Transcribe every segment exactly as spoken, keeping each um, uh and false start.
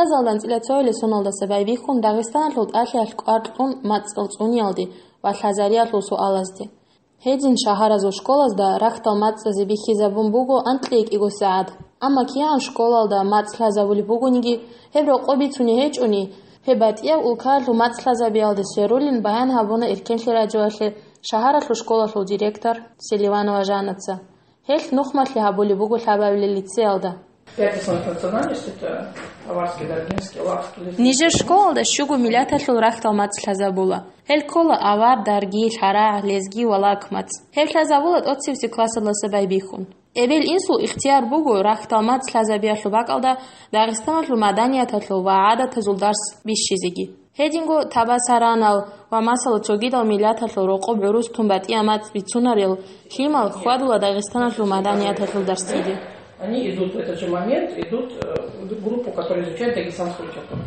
Язалда анцӀила цоялъул соналдаса байбихьун Дагъистаналъул тӀалъиялъ кӀвар кьун мацӀал цӀуниялде ва лъазариялъул суалазде. Гьедин шагьаразул школазда рахьдал мацӀазе бихьизабун буго анкьиги кӀиго сагӀат. Амма кигӀан школалда мацӀ лъазабулеб бугониги, гьеб рокъоб бицунеб гьечӀони, гьеб батӀияб улкаялъул мацӀ лъазабиялде сверулин баян гьабуна Эркенлъи радиоялъе шагьаралъул школалъул директор Селиванова Жаннаца. Гьелъ нухмалъи гьабулеб буго лъабабилеб лицеялда. Пятый национальность — это аварский, даргинский, лакский, лезгинский. Нижер школалда щуго миллаталъул рахьдал мацӀ лъазабула. Гьел ккола авар, дарги, лъарагӀ, лезги ва лак мацӀ. Гьеб лъазабула тӀоцебесеб классалдаса байбихьун. Эбел-инсул ихтияр буго рахьдал мацӀ лъазабиялъул бакӀалда Дагъистаналъул маданияталъул ва гӀадатазул дарс бищизеги. Гьединго табасаранал ва, масала, цогидал миллаталъул рокъоб гӀурус тун батӀияб мацӀ бицунарел лъимал хьвадула Дагъистаналъул маданияталъул дарсиде. Они идут в этот же момент, идут, э, в группу, которая изучает дагестанскую литературу.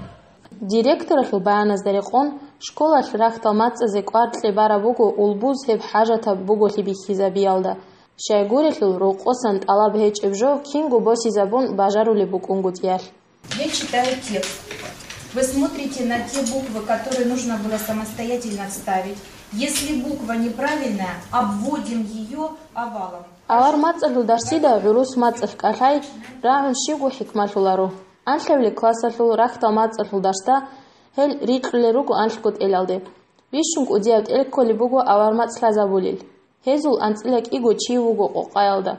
Директоралъул баяназда рекъон, школалъ рахьдал мацӀазе кӀвар кье бараб буго улбуз гьеб хӀажатаб буголъи бихьизабиялда. Щайгурелъул, рокъосан тӀалаб гьечӀеб жо кинго босизабун бажарулеб букӀунгутӀиялъ. Я читаю текст. Вы смотрите на те буквы, которые нужно было самостоятельно вставить. Если буква неправильная, обводим ее овалом. Авар мацӀалъул дарсида гӀурус мацӀалъ кӀалъай рагӀун щибго хӀикмалъуларо. Анлъабилеб классалъул рахьдал мацӀалъул дарсда гьел рикьулел руго анлъго тӀелалде. Бищун кӀудияб тӀел кколеб буго авар мацӀ лъазабулел. Гьезул анцӀила кӀиго чи вуго къокъаялда.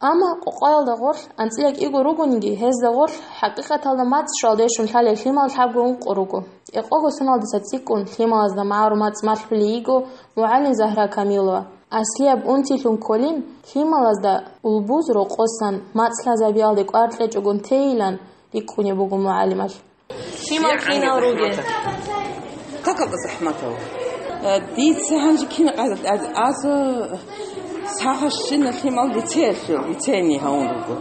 Амма къокъаялда гъорлъ анцӀила кӀиго ругониги, гьезда гъорлъ хӀакъикъаталда мацӀ щвалдешун лъалел лъимал лъабго ункъо руго. Экъого соналдаса цӀикӀкӀун лъималазда магӀарул мацӀ малъулей йиго мугӀалим Загьра Камилова. Аслияб унтилъун кколин, лъималазда улбуз рокъосан мацӀ лъазабиялде кӀвар кьечӀогун тейилан рикӀкӀунеб буго мугӀалималъ. Лъимал кинал ругел? Какал захӀматал. Э, дица гьанже кин къайдат аз, аз, э, сагъа щина лъимал лицеялъул, лицейный гьавун руго.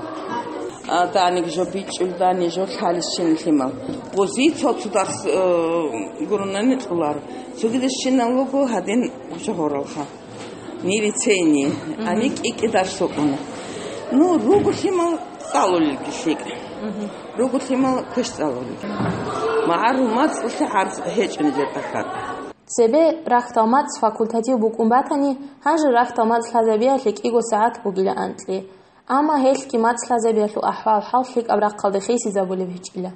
А, дани жо бичӀчӀул, дани жо лъалищин лъимал. Гъузи цо-цо дарс, э, гурунани кьулар. Цогидищинал луго гьадин жо гьоралха. Ни лицейни, ани кӀикӀи дарс букӀуна. Ну, руго лъимал цӀалулелги лъикӀ. Руго лъимал квеш цӀалулел. МагӀарул мацӀалъе гӀарц гьечӀо нижер тӀахьал. Цебе рахьдал мацӀ факультатив букӀун батани, гьанже рахьдал мацӀ лъазабиялъе кӀиго сагӀат бугила анкьи. Амма гьелъги мацӀ лъазабиялъул ахӀвал-хӀал лъикӀаб рахъалде хисизабулеб гьечӀила.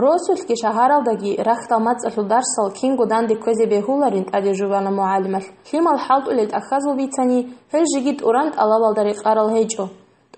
Росулъги шагьаралдаги рахьдал мацӀалъул дарсал кинго данде кквезе бегьуларин тӀаде жубана мугӀалималъ. Лъимал хӀалтӀулел тӀахьазул бицани, гьел жеги тӀуран тӀалабалда рекъарал гьечӀо.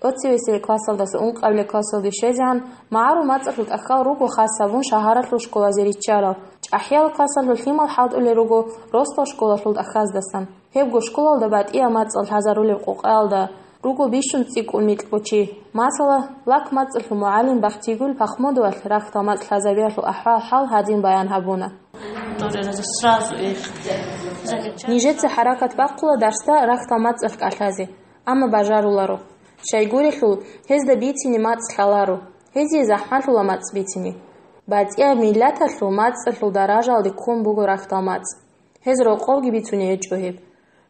ТӀоцевесел классалдаса ункъабилеб классалде щвезегӀан, магӀарул мацӀалъул тӀахьал руго хас гьабун шагьаралъул школазе риччарал. ЧӀахӀиял классалъул лъимал хӀалтӀулел руго росдал школалъул тӀахьаздасан. Гьебго школалда батӀияб мацӀал лъазарулеб къокъаялда руго бищун цӀикӀкӀун микьго чи. Масала, лак мацӀалъул мугӀалим Бахтигул Пахмудовалъ рахьдал мацӀ лъазабиялъул ахӀвал-хӀал гьадин баян гьабуна. Сразу их замечать. Нижеца хӀаракат бахъула дарсда рахьдал мацӀалъ кӀалъазе, амма бажаруларо. Щайгурелъул, гьезда бицине мацӀ лъаларо, гьезие захӀмалъула мацӀ бицине. БатӀияб миллаталъул мацӀалъул даражалде ккун буго рахьдал мацӀ. Гьез рокъовги бицунеб гьечӀо гьеб.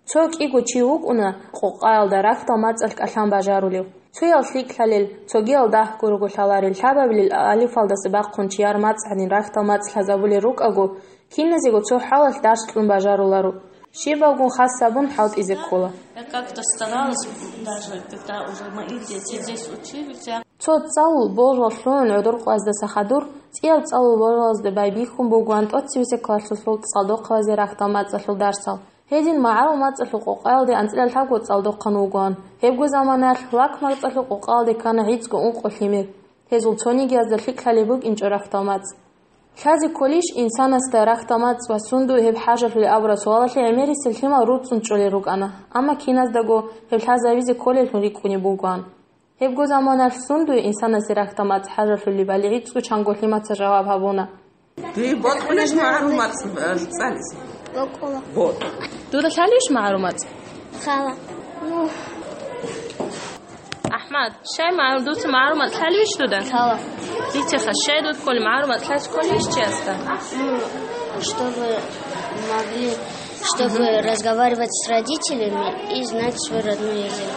Цо кӀиго чи вукӀуна къокъаялда рахьдал мацӀалъ кӀалъан бажарулев. Цоял лъикӀлъалел, цогиял дагь гурого лъаларел, лъабабилел алифалдаса бахъун чияр мацӀ гьанин рахьдал мацӀ лъазабулел рукӀаго, киназего цо хӀалалъ дарс кьун бажаруларо. Щибабгун хас гьабун хӀалтӀизе ккола. Я как-то старалась, даже когда уже мои дети здесь учились, я Цо цӀалул болжал лъугӀун гӀодор къваздаса хадур, цӀиял цӀалул болжалазда байбихьун бугоан тӀоцевесеб классалъул цӀалдохъабазе рахьдал мацӀалъул дарсал. Гьедин магӀарул мацӀалъул къокъаялде анцӀила лъабго цӀалдохъан вугоан. Гьебго заманаялъ лак мацӀалъул къокъаялде ккана гӀицӀго ункъо лъимер. Гьезул цонигиязда лъикӀлъалеб букӀинчӀо рахьдал мацӀ. Лъазе кколищ инсанасда рахьдал мацӀ ва сундуе гьеб хӀажалъулеб абураб суалалъе гӀемерисел лъимал руцӀцӀун чӀолел рукӀана, амма киназдаго гьеб лъазабизе кколеллъун рикӀкӀунеб бугоан. Гьебго заманалъ сундуе инсанасе рахьдал мацӀ хӀажалъулебали гӀицӀго чанго лъимаца жаваб гьабуна. Дие бокьулищ магӀарул мацӀ, э, цӀализе? Бокьула. Бо- Дуда лъалищ магӀарул мацӀ? Лъала. Ну. АхӀмад, щай магӀарул, дуца магӀарул мацӀ лъалищ дуда? Лъала. Дитеха, щай дуда кколеб магӀарул мацӀ лъалищ кколищ чиясда? Ну, чтобы могли, чтобы разговаривать с родителями и знать свой родной язык.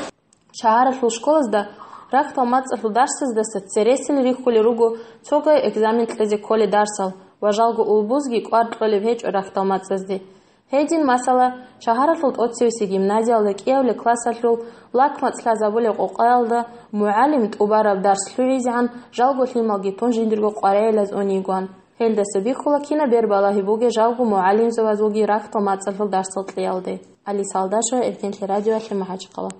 Шагьаралъул школазда Рахьдал мацӀалъул дарсаздаса цересел рихьулел руго цогай экзамен кьезе кколел дарсал ва жалго улбузги кӀвар кьолеб гьечӀо рахьдал мацӀазде. Гьедин, масала, шагьаралъул тӀоцевесеб гимназиялда кӀиявлеб классалъул лакмацӀ лъазабулеб къокъаялда мугӀалим тӀубараб дарс лъугӀизегӀан жалго лъималги тун жиндирго къваригӀелаз ун йигоан. Гьелдаса бихьула кинаб бер балагьи бугеб жалго мугӀалимзабазулги рахьдал мацӀалъул дарсал кьеялде. Алиса Алдашева, Эркенлъи радиоялъе, МахӀачхъала.